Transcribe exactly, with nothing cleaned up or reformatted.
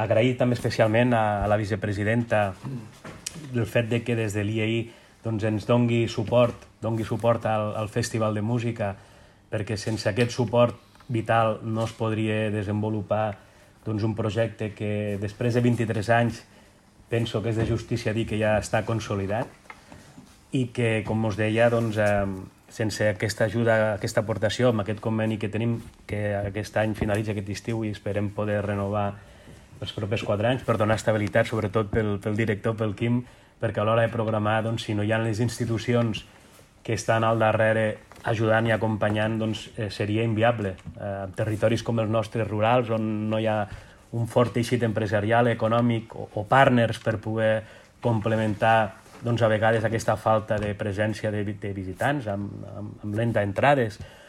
agrair també especialment a la vicepresidenta el fet de que des de l'I A I doncs, ens dongui suport, dongui suport al, al Festival de Música, perquè sense aquest suport vital no es podria desenvolupar doncs, un projecte que després de vint-i-tres anys penso que és de justícia dir que ja està consolidat i que, com us deia, doncs, eh, sense aquesta ajuda, aquesta aportació, amb aquest conveni que tenim, que aquest any finalitza aquest estiu i esperem poder renovar els propers quatre anys per donar estabilitat, sobretot pel, pel director, pel Quim, perquè a l'hora de programar, doncs, si no hi ha les institucions que estan al darrere ajudant i acompanyant, doncs, eh, seria inviable. Eh, en territoris com els nostres rurals, on no hi ha un fort teixit empresarial, econòmic o, o partners per poder complementar doncs, a vegades aquesta falta de presència de, de visitants amb, amb, amb lenta entrades